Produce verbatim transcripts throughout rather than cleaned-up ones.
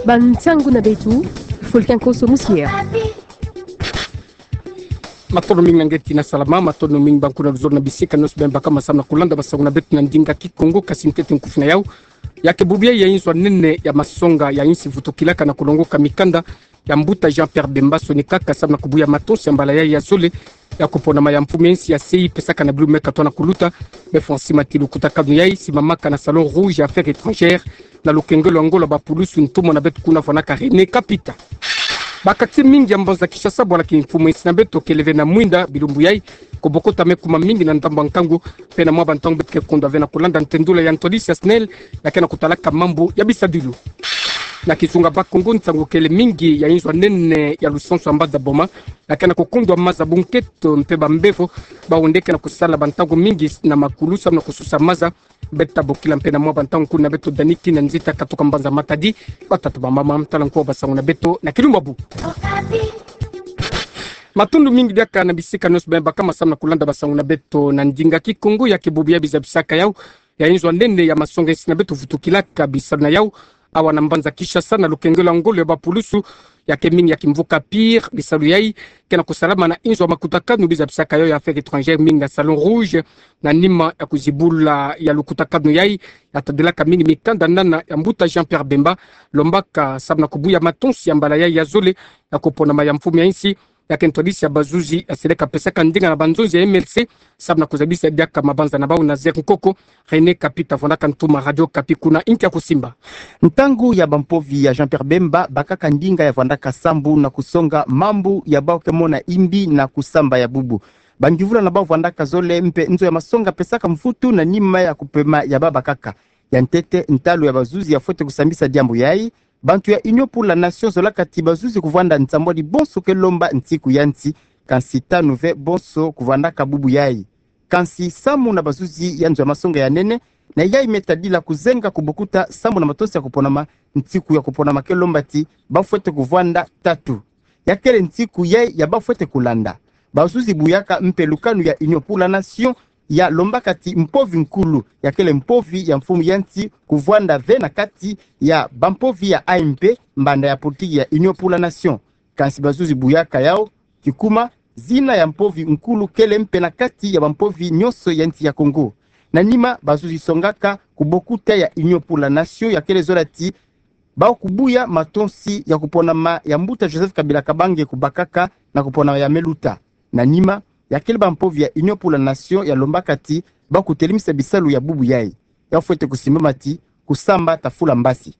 Bansangu na beto, Fulken Koso Musier. Matondo mingi na ngeti na salama, matondo mingi bankuna luzolo na bisika nionso bem baka ma samu na kulanda basangu na beto na ndinga Kikongo. Kasi ntete nkufi na yau, ya ke bubu ya inzo ya nene ya masonga ya insi vutukilaka na kulongoka mikanda ya mbuta Jean-Pierre Bemba, sonikaka samu na kubuya matonsi ya mbala yai ya zole ya kuponama ya mfumu ya insi ya sei pesaka na bilu me katwa na kuluta, me fwa nsi mati lukutakanu yai simamaka na Salon Rouge ya Affaires étrangères, na lukengelo ya ngolo ya bapulusu, ntumwa na beto kuna vwanaka René Kapita. Ba quartiers mingi ya mbanza Kinshasa, bwala ki mfumu ya insi na beto kele ve na mwinda bilumbu yai, kubokota me kuma mingi na ndambu ya nkangu, mpe na mwa bantangu beto ke kondwa ve na kulanda ntendula ya ntwadisi ya SNEL, ya ke na kutalaka mambu ya bisadilu. Na kizunga Bas-Congo, nsangu kele mingi ya inzo ya nene ya lusansu ya mbanza Boma, ya ke na kukundwa maza bunketo mpe bambevo, bawu nde ke na kusala bantangu mingi na makulu samu na kususa maza. Beto tabokila mpe na mwa bantangu kuna beto daniki na nzita katuka mbanza Matadi, batata bamama, mutala nko wa basangu na beto na kilumbu ya bubu. Matondo mingi diaka na bisika nionso bem baka ma samu na kulanda basangu na beto na ndinga Kikongo. Ya ke bubu ya bizabisaka yau ya inzo ya nene ya masonga ya insi na beto vutukilaka bisalu na yau awa na mbanza Kinshasa, na lukengelo ya ngolo ya bapulusu, ya ke mingi ya kimvuka Pire. Bisalu yai ke na kusalama na inzo ya makutakanu bizabisaka yau ya Affaires étrangères, mingi na Salon Rouge, na nima ya kuzibula ya lukutakanu yai, ya tadilaka mingi mikanda nana ya mbuta Jean-Pierre Bemba, lombaka samu na kubuya matonsi ya mbala yai ya zole ya kuponama ya mfumu ya insi, ya ke ntwadisi ya bazuzi ya seleka pesaka ndinga na banzonzi ya MLC, samu na kuzabisa diaka mabanza na bawu. Nazaire Nkoko, René Kapita, vwanaka ntuma Radio Okapi kuna, inki ya kusimba. Ntangu ya bampovi ya Jean-Pierre Bemba bakaka ndinga ya vwandaka sambu na kusonga mambu ya bawu ke mona imbi na kusamba ya bubu. Bangyuvula na bawu vwandaka zole mpe nzo ya masonga pesaka mvutu na nima ya kupema ya babakaka. Ya ntete, ntalu ya bazuzi ya fwete kusambisa diambu yai. Bantu ya Union pour la Nation zolaka ti bazuzi kuvwanda nsambwadi bonso ke lomba nsiku ya nsi, kansi tanu ve bonso kuvwandaka bubu yai. Kansi samu na bazuzi ya nzo ya masonga ya nene, na yai me tadila kuzenga kubokuta sambu na matonsi ya kuponama, nsiku ya kuponama ke lomba ti bafwete kuvwanda tatu. Ya kele nsiku yai ya bafwete kulanda. Bazuzi buyaka mpe lukanu ya Union pour la Nation ya lombaka ti mpovi nkulu, ya kele mpovi ya mfumu ya nsi, kuvwanda ve na kati ya bampovi ya A M P, mbanda ya politiki ya Union pour la Nation. Kansi bazuzi buyaka yau ti kuma zina ya mpovi nkulu kele mpe na kati ya bampovi nionso ya nsi ya Congo. Na nima, bazuzi songaka kubokuta ya Union pour la Nation ya kele zola ti bawu kubuya matonsi ya kuponama ya mbuta Joseph Kabila Kabange kubakaka na kuponama ya me luta. Na nima, ya kele bampovi ya Union pour la Nation ya lombaka ti bawu kutelemisa bisalu ya bubu yai. Ya fwete kusimbama ti kusamba tafula mbasi.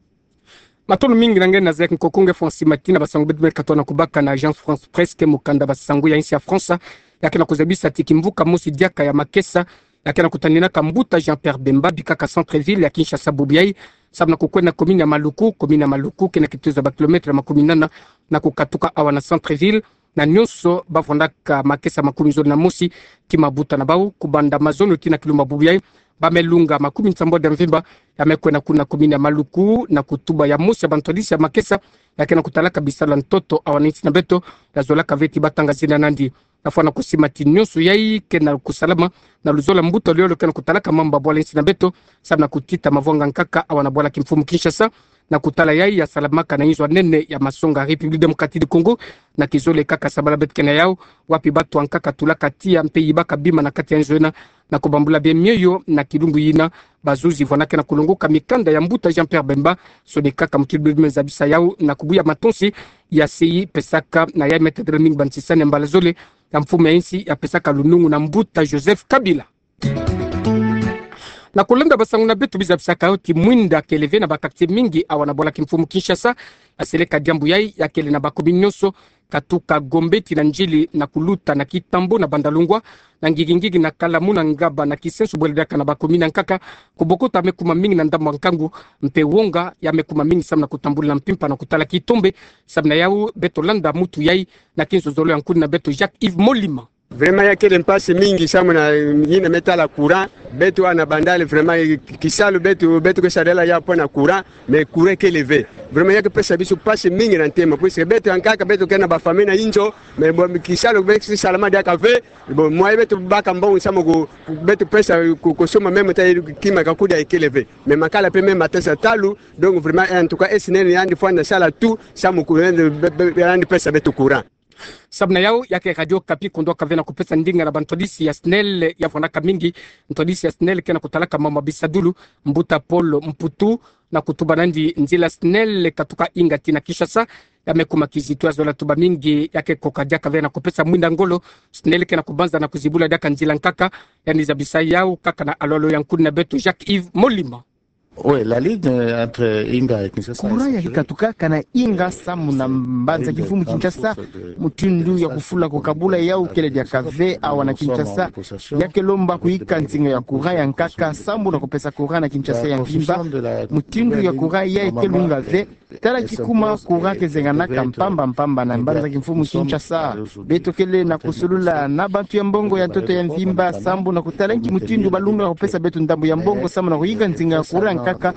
Matondo mingi na nge Nazaire Nkoko, nge fwa nsi mati na basangu beto me katwa na kubaka na Agence France Presse, ke mukanda basangu ya insi ya France, ya ke na kuzabisa ti kimvuka mosi diaka ya makesa ya ke na kutaninaka mbuta Jean-Pierre Bemba, bikaka centre-ville ya Kinshasa bubu yai, samu na kukwenda commune ya Maluku. Commune ya Maluku ke na kitezo ya bakilometre makumi nana na kukatuka awa na centre-ville. Na nionso bavwandaka makesa makumi zole na mosi ti mabuta na bawu, kubanda mazono tii na kilumbu ya bubu yai, ba me lunga makumi nsambwadi ya mvimba, ya me kwenda kuna commune ya Maluku na kutuba ya mosi ya bantwadisi ya makesa ya ke na kutalaka bisalu ya ntoto awa na insi na beto, ya zolaka ve ti batanga zina nandi. Na fwa na kusima ti nionso yai ke na kusalama na luzolo ya mbuta lolo ke na kutalaka mambu ya bwala insi na beto, samu na kutita mavwanga nkaka awa na bwala kimfumu Kinshasa. Na kutala yai ya salamaka na inzo ya nene ya masonga République Démocratique du Congo, na kizole kaka sabala beto ke na yau, wapi batu ya nkaka tulaka tiya mpe yibaka bima na kati ya nzo yina, na kubambula bie mioyo na kilumbu yina. Bazuzi vwandaka na kulongoka mikanda ya mbuta Jean-Pierre Bemba, sonikaka mutilu bima zabisa yau na kubuya matonsi ya sei pesaka. Na yai me tadila mingi bantisani ya mbala zole ya mfumu ya insi ya pesaka lunungu na mbuta Joseph Kabila. Na kulanda basangu na beto, bizabisaka yo ti mwinda kele ve na ba quartiers mingi awa na bwala kimfumu Kinshasa. Ya seleka diambu yai, ya kele na ba communes nionso, katuka Gombe tii na Ndjili na kuluta na Kintambo na Bandalungwa, na Ngigi-Ngigi na Kalamu na Ngaba na Kisenso, bwele diaka na ba communes ya nkaka, kubokota me kuma mingi na ndambu ya nkangu, mpe wonga ya me kuma mingi samu na kutambula na mpimpa na kutala kitombe. Samu na yau, beto landa mutu yai na kinzozolo ya nkuni na beto Jacques Yves Molima. Vraiment ya kele mpasi mingi samu na yina me tala courant. Beto wana bandali vraiment kisalu beto, beto ke sarila ya mpo na courant, mais courant kele ve. Vraiment ya ke pesa biso mpasi mingi na ntema, puisque beto ya nkaka beto ke na ba famille na inzo, mais bon, kisalu beto ke salama diaka ve. Bon, moyen beto baka mbongo samu ko, beto pesa ko, ko soma même ta kima ka kudia kele ve. Mais makala pe même matesa talu, donc vraiment, en tout cas, SNEL yandi fwana sala tout samu ko yandi, be, be, yandi pesa beto courant. Samu na yau, ya ke Radio Okapi kundwaka ve na kupesa ndinga na bantwadisi ya SNEL ya fwanaka mingi. Ntwadisi ya SNEL ke na kutalaka mama bisadulu, mbuta Paul Mputu, na kutuba nandi nzila SNEL katuka inga tii na Kinshasa. Ya me kuma kizito ya zola tuba mingi, ya ke koka diaka ve na kupesa mwinda ngolo SNEL ke na kubanza na kuzibula diaka nzila nkaka. Yandi zabisa yau kaka na alolo ya nkuni na beto Jacques-Yves Molima. Oui, la ligne, euh, entre Inga et Kinshasa. Courant ya ke katukaka na Inga samu na mbanza kimfumu Kinshasa, mutindu ya kufula ko kabula yau kele diaka ve awa na Kinshasa. Ya ke lomba kuyika nsinga ya courant ya nkaka samu na kupesa courant na Kinshasa ya mvimba. Mutindu ya courant yayi ke lunga ve. Tala kikuma courant ke zenganaka mpamba mpamba na mbanza kimfumu Kinshasa. Beto kele na kusulula na bantu ya mbongo ya ntoto ya mvimba samu na kutala nki mutindu balunga kupesa beto ndambu ya mbongo samu na kuyika nsinga ya courant nkaka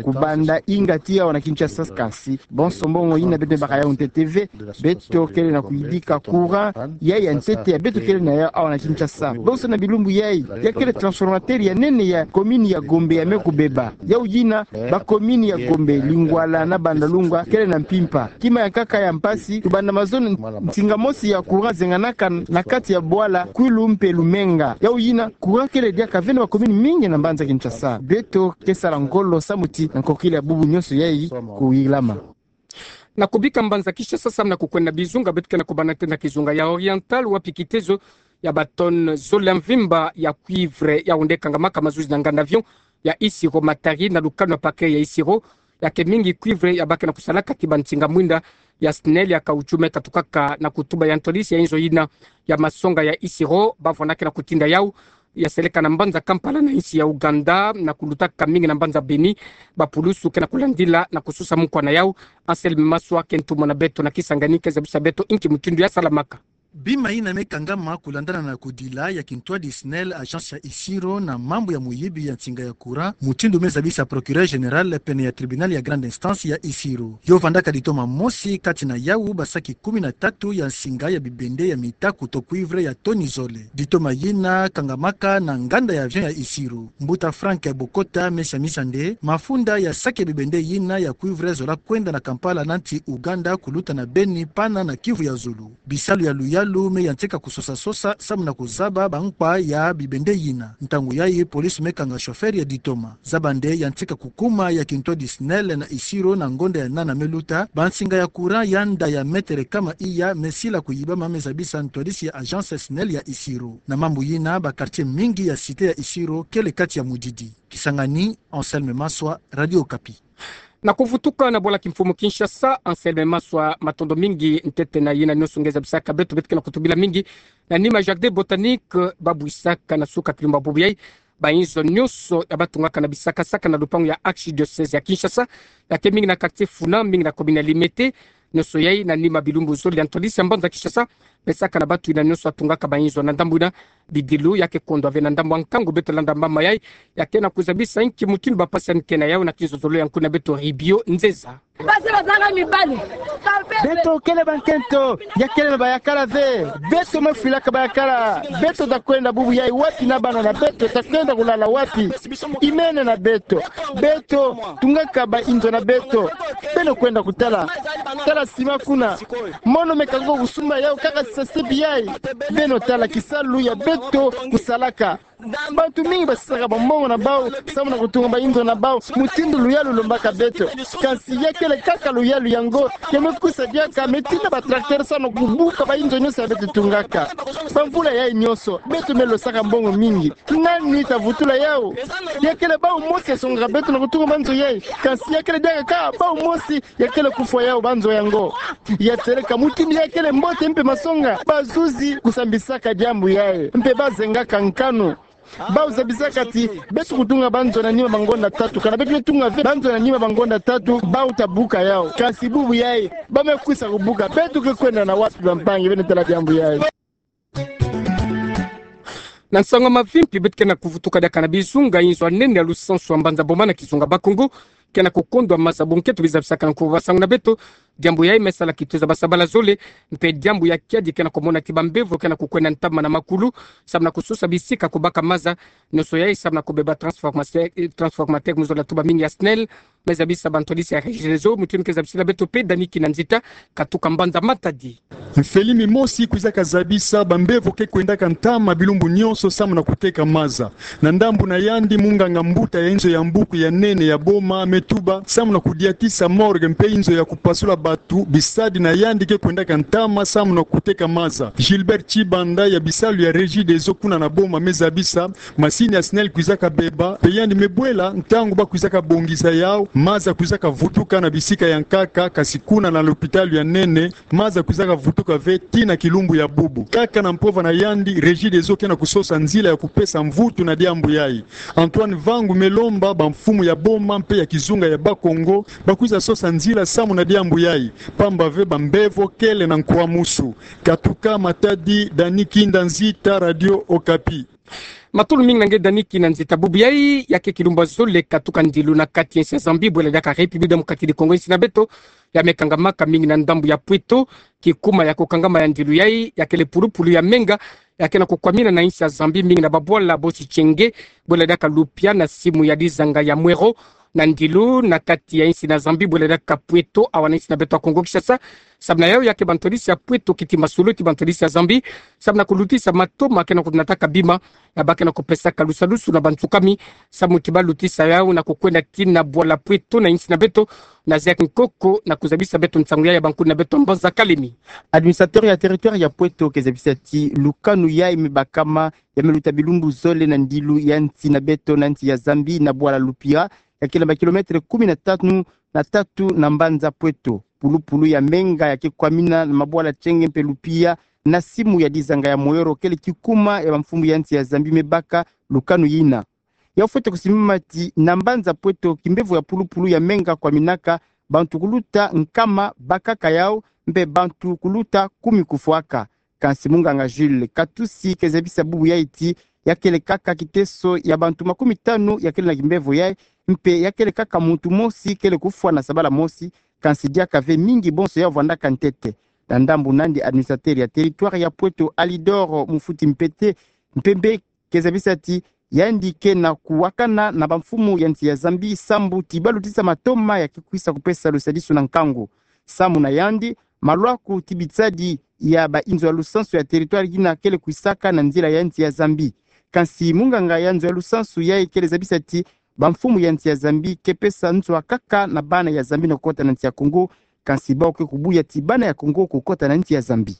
kubanda Inga tii awa na Kinshasa. Kansi bonso mbongo yina beto me baka yau ntete ve. Beto kele na kuyidika courant yayi ya ntete ya beto kele na yau awa na Kinshasa. Bonso na bilumbu yayi, ya kele transformateur ya nene ya commune ya Gombe ya me kubeba. Yau yina, ba commune ya Gombe, Lingwala na Bandalungwa kele na mpimpa. Kima ya nkaka ya mpasi, kubanda mazono nsinga mosi ya courant zenganaka na kati ya bwala Kwilu mpe Lumenga. Yau yina, courant kele diaka ve na ba commune mingi na mbanza Kinshasa. Beto ke sala ngolo samu ti na nkokila ya bubu nyonso yayi kuyilama. Na kubika mbanza Kinshasa samu na kukwenda bizunga, beto ke na kubanda ntete na kizunga ya Oriental, wapi kitezo ya ba tonnes zole ya mvimba ya cuivre ya onde kangamaka mazuzi na nganda avion ya Isiro Matadi na lukanu ya paquet ya Isiro. Ya ke mingi cuivre ya ba ke na kusalaka tii ba nsinga mwinda ya SNEL ya caoutchouc me katukaka na kutuba ya ntwadisi ya inzo yina ya masonga ya Isiro, bavwandaka na kutinda yau ya seleka na mbanza Kampala na insi ya Ouganda, na kulutaka mingi na mbanza Beni. Bapulusu ke na kulandila na kususa mukwa na yau. Anselme Maswa ke ntumwa na beto na Kisangani, ke zabisa beto inki mutindu ya salamaka. Bima yina me kangama kulandana na kudila ya kintwadi SNEL, agence ya Isiro, na mambu ya muyibi ya nsinga ya courant, mutindu me zabisa procureur général pene ya tribunal ya grande instance ya Isiro. Yo vandaka ditoma mosi kati na yau ba saki kumi na tatu ya nsinga ya bibende ya mita kuto cuivre ya toni zole. Ditoma yina kangamaka na nganda ya avion ya Isiro. Mbuta Frank Bokota me samisa nde mafunda ya saki ya bibende yina ya cuivre zola kwenda na Kampala na nsi Ouganda kuluta na Beni pana na Kivu ya zulu. Bisalu ya luyalu me yantika kusosa-sosa samu na kuzaba bankwa ya bibende yina. Ntangu yayi police me kanga chauffeur ya ditoma. Zaba nde yantika kukuma ya kintwadi SNEL na Isiro na ngonda ya nana me luta, ba nsinga ya courant ya nda ya mètre kama iya me sila kuyibama, me zabisa ntwadisi ya agence SNEL ya Isiro. Na mambu yina, ba quartier mingi ya cité ya Isiro kele kati ya mudidi. Kisangani, Anselme Maswa, Radio Okapi. Na kuvutuka na bwala kimfumu Kinshasa, Anselme Maswa, matondo mingi ntete na yina nyonso nge zabisaka beto. Beto ke na kutubila mingi na nima jardin botanique babwisaka na suka kilumbu bubu yayi. Ba inzo nyonso ya batungaka na bisaka-saka na lupangu ya archidiocèse ya Kinshasa, ya ke mingi na quartier Funa, mingi na commune ya Limete, nyonso yayi na nima bilumbu zole ya ntwadisi ya mbanza Kinshasa. Pesaka na bantu yina nyonso atungaka ba inzo na ndambu yina, bidilu ya ke kondwa ve na ndambu ya nkangu. Beto landa mbamba yayi, ya ke na kuzabisa inki mutindu ba mpasi yandi ke na yau na kinzonzolo ya nkuna beto Ribio Nzeza. Beto kele bankento, ya kele na bayakala ve. Beto me fwilaka bayakala. Beto ta kwenda bubu yayi wapi na bana na beto? Ta kwenda kulala wapi? Imene na beto. Beto tungaka ba inzo na beto. Beno kwenda kutala. Tala sima kuna. Mono me ka nge kusumba yau kaka sisa step yayi. Beno tala kisalu ya beto kusalaka. Bantu mingi basisaka bambongo na bau samu na kutunga ba inzo na bau mutindu luyalu lombaka beto. Kansi ya kele kaka luyalu yango ya me kwisa diaka, me tinda ba tracteur samu na kubuka ba inzo nyonso ya beto tungaka. Bamvula yayi nyonso beto me losaka mbongo mingi. Nani ta vutula yau? Ya kele bau mosi ya songaka beto na kutunga ba nzo yayi. Kansi ya kele diaka kaka bau mosi ya kele kufwa yau ba nzo yango. Ya seleka mutindu ya kele mbote mpe masonga, bazuzi kusambisaka diambu yayi mpe bazengaka nkanu. Bau zabisaka ti beto kutunga ba nzo na nima ba ngonda tatu. Kana beto ke tunga ve ba nzo na nima ba ngonda tatu, bau ta buka yau. Kansi bubu yayi ba me kwisa kubuka. Beto ke kwenda na wapi, bampangi? Beno tala diambu yayi. Na nsangu ya mavimpi, beto ke na kuvutuka diaka na bizunga inzo ya nene ya lusansu ya mbanza Boma na kizunga Bas-Congo, ke na kukondwa maza. Buna nketo biza bisaka na nkuba ba nsangu na beto, diambu yayi me sala kitoza basabala zole, mpe diambu ya kiadi ke na kumona ti bambevo ke na kukwenda ntama na makulu, samu na kusosa bisika kubaka maza, nionso yayi samu na kubeba transformateur, eh, transformateur mu zola tuba mingi ya SNEL, me zabisa bantwadisi ya Regideso, mutindu ke zabisila beto mpe Dani Kinanzita, katuka mbanza Matadi. Mfeli mimosi kwizaka zabisa bambevo ke kwendaka ntama bilumbu nionso samu na kuteka maza. Na ndambu na yandi, munganga mbuta ya inzo ya mbuku ya nene ya Boma me tuba, samu na kudiatisa morgue mpe inzo ya kupasula batu, bisadi na yandi ke kwendaka ntama samu na kuteka maza. Gilbert Chibanda ya bisalu ya Regideso kuna na Boma me zabisa, masini ya SNEL kwizaka beba, mpe yandi me bwela ntangu ba kwizaka bongisa yau, maza kwizaka vutuka na bisika ya nkaka, kasi kuna na lopitalo ya nene, maza kwizaka vutuka ve tii na kilumbu ya bubu. Kaka na mpova na yandi, Regideso ke na kusosa nzila ya kupesa mvutu na diambu yayi. Antoine Vangu me lomba bamfumu ya Boma mpe ya kizunga ya Bas-Congo, ba kwiza sosa nzila samu na diambu yayi, pamba ve bambevo kele na nkwamusu. Katuka Matadi, Dani Kinanzita, Radio Okapi. Matondo mingi na nge Dani Kinanzita. Bubu yayi, ya ke kilumbu ya zole katuka ndilu na kati ya insi ya Zambie, bwela diaka République Démocratique du Congo, insi na beto, ya me kangamaka mingi na ndambu ya Pweto. Kikuma ya kukangama ya ndilu yayi, ya kele pulupulu ya menga, ya ke na kukwamina na insi ya Zambie mingi na babwala bosi Tchenge, bwela diaka Lupia na simu ya dizanga ya Mwero, na ndilu na kati ya insi na Zambie, bwela diaka Pweto, awa na insi na beto ya Congo Kinshasa. Samu na yau, ya ke bantwadisi ya Pweto kiti masolo ti bantwadisi ya Zambie, samu na kulutisa matoma ke na kunataka bima, ya ba ke na kupesaka lusalusu na bansukami, samu ti ba lutisa yau na kukwenda tii na bwala Pweto na insi na beto, na Zek Nkoko, na kuzabisa beto nsangu yayi ya bankuni na beto mbanza Kalemi. Administrateur ya territoire ya Pweto ke zabisa ti lukanu yayi me bakama, ya me luta bilumbu zole na ndilu ya nsi na beto na nsi ya Zambie na bwala Lupia, ya kele ba kilomètre kumi na tanu na tatu na mbanza Pweto. Pulupulu ya menga ya ke kwamina na mabwala Tchenge mpe Lupia, na simu ya dizanga ya Mwero, kele kikuma ya bamfumu ya nsi ya Zambie me baka lukanu yina. Ya fwete kusimbama ti na mbanza Pweto, kimbevo ya pulupulu ya menga kwaminaka, bantu kuluta nkama bakaka yau, mpe bantu kuluta kumi kufwaka. Kansi munganga Jules Katusi ke zabisa bubu yayi ti ya kele kaka kiteso ya bantu makumi tanu ya kele na kimbevo yayi, mpe ya kele kaka muntu mosi kele kufwa na sabala mosi, kansi diaka ve mingi bonso ya vwandaka ntete. Na ndambu nandi, administrateur ya territoire ya Pweto Alidor Mufuti Mpete Mpembe ke zabisa ti yandi ke na kuwakana na bamfumu ya nsi ya Zambie sambu ti ba lutisa matoma ya ke kwisa kupesa lusadisu na nkangu. Samu na yandi, malwaku ti bitsadi ya ba inzo ya lusansu ya territoire yina kele kwisaka na nzila ya nsi ya Zambie. Kansi munganga ya nzo ya lusansu yayi kele zabisa ti bamfumu ya nsi ya Zambie ke pesa nzo ya nkaka na bana ya Zambie na kukota na nsi ya Congo, kansi bau ke kubuya ti bana ya Congo kukota na nsi ya Zambie.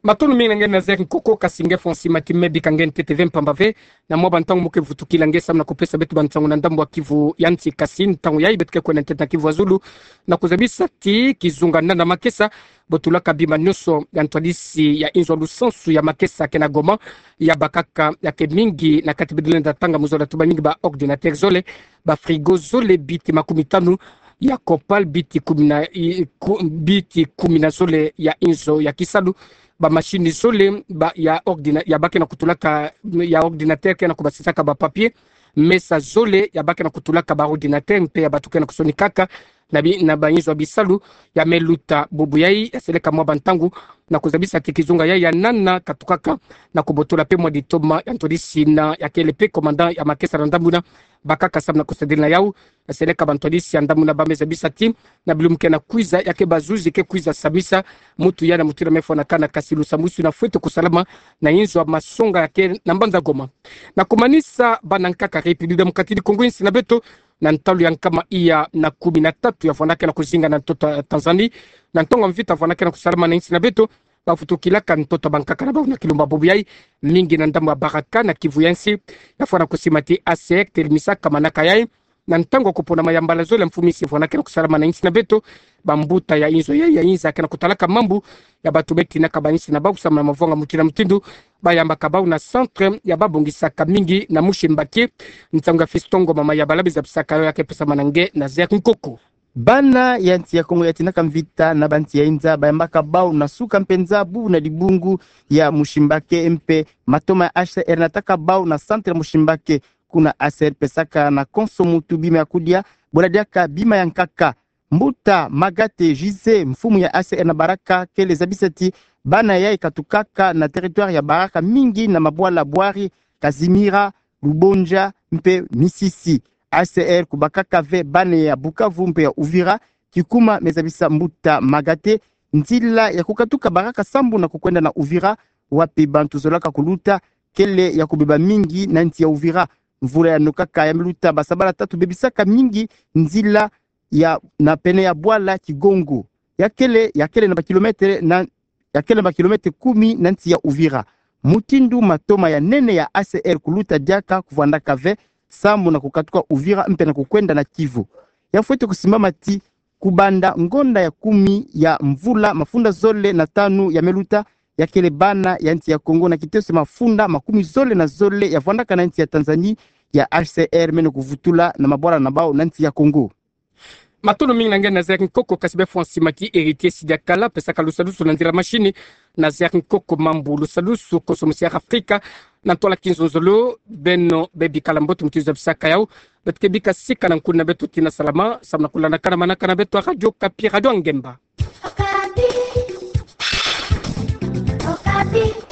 Matondo mingi na nge Nazaire Nkoko, kasi nge fwa nsi mati me bika nge ntete ve mpamba ve, na mwa bantangu mo ke vutukila nge samu na kupesa beto bansangu na ndambu ya Kivu ya nsi, kasi ntangu yayi beto ke kwenda ntete na Kivu ya Zulu, na kuzabisa ti kizunga nana Makesa, bo tulaka bima nionso ya ntwadisi ya inzo ya lusansu ya Makesa ke na Goma, ya bakaka ya ke mingi na kati. Beto lenda tanga mu zola tuba mingi ba ordinateur zole, ba frigo zole, biti makumi tanu ya Copal, biti kumi na, i, ku, biti kumi na zole ya inzo ya kisalu, ba machine zole, ba, ya ordina-, ya ba ke na kutulaka, ya ordinateur ke na kubasisaka ba papier, mesa zole, ya ba ke na kutulaka ba ordinateur, mpe ya bato ke na kusonikaka na bi-, na ba inzo ya bisalu, ya me luta bubu yayi, ya seleka mwa bantangu, na kuzabisa ti kizunga yayi ya nana katukaka, na kubotola mpe mwa ditoma ya ntwadisi na ya kele mpe commandant ya Makesa na ndambu na bakaka samu na kusadila na yau, ya seleka ba ntwadisi ya ndambu na ba me zabisa ti, na bilumbu ke na kwiza, ya ke bazuzi ke kwiza samisa mutu ya na mutu na me fwanakana, kasi lusambwisu na fwete kusalama na inzo ya masonga ya ke na mbanza Goma. Na kumanisa, bana nkaka République Démocratique du Congo, insi na beto, na ntalu ya nkama iya na kumi na tatu ya fwanakana kuzinga na ntoto ya Tanzanie, na ntangu ya mvita fwanakana kusalama na insi na beto, ba vutukilaka ntoto ya bankaka na bau na kilumbu bubu yayi, mingi na ndambu ya Baraka na Kivu ya nsi, ya fwana kusima ti A C R telemisa kamanaka yayi, na ntangu ya kuponama ya mbala zole ya mfumu insi fwanakana kusalama na insi na beto, bambuta ya inzo ya, ya inza ke na kutalaka mambu ya bato me tinaka ba insi na bau samu na mavanga mutindu na mutindu, ba yambaka bau na centre ya ba bongisaka mingi na Mushimbashi. Nsangu ya Fiston Ngoma Mayabala, biza bisaka yo, ya ke pesama na nge Nazaire Nkoko. Bana ya nsi ya Kongo ya tinaka mvita na bansi ya inza bayambaka bau na suka mpenza bubu na dibungu ya Mutshimbaké mpe matoma ya H C R nataka bau na centre Mutshimbaké. Kuna H C R pesaka na konso muntu bima ya kudia, bula diaka bima ya nkaka. Mbuta Magaté José, mfumu ya H C R na Baraka, kele zabisa ti bana yayi katukaka na territoire ya Baraka mingi na mabwala Bouari, Casimira, Lubondja mpe Mississi. H C R kubakaka ve bana ya Bukavu mpe ya Uvira, kikuma me zabisa mbuta Magaté, nzila ya kukatuka Baraka sambu na kukwenda na Uvira, wapi bantu zolaka kuluta, kele ya kubeba mingi na nsi ya Uvira. Mvula ya nokaka ya miluta, basabala tatu bebisaka mingi nzila ya, na pene ya bwala Kigongo. Ya kele, ya kele na ba kilomètre na, ya kele na ba kilomètre kumi na nsi ya Uvira. Mutindu matoma ya nene ya H C R kuluta diaka kuvwandaka ve, sambu na kukatuka Uvira mpe na kukwenda na Kivu. Ya fwete kusimbama ti kubanda ngonda ya kumi ya mvula mafunda zole na tanu ya miluta, ya kele bana ya nsi ya Kongo na kiteso mafunda makumi zole na zole ya vwandaka na nsi ya Tanzanie, ya H C R mene kuvutula na mabwala na bau na nsi ya Kongo. Matondo mingi na nge Nazaire Nkoko, kasi be fwa nsima ti Héritier Sidiakala, pesaka lusadusu na nzila machine. Nazaire Nkoko, mambu lusadusu konso musi ya Afrika, na ntwala kinzonzolo. Beno be bikala mbote mutindu zabisaka yawu. Beto ke bika sika na nkuna beto tina salama, sambu na kulandakana manakana beto ya Radio Okapi, Radio Ngemba. Okapi. Okapi.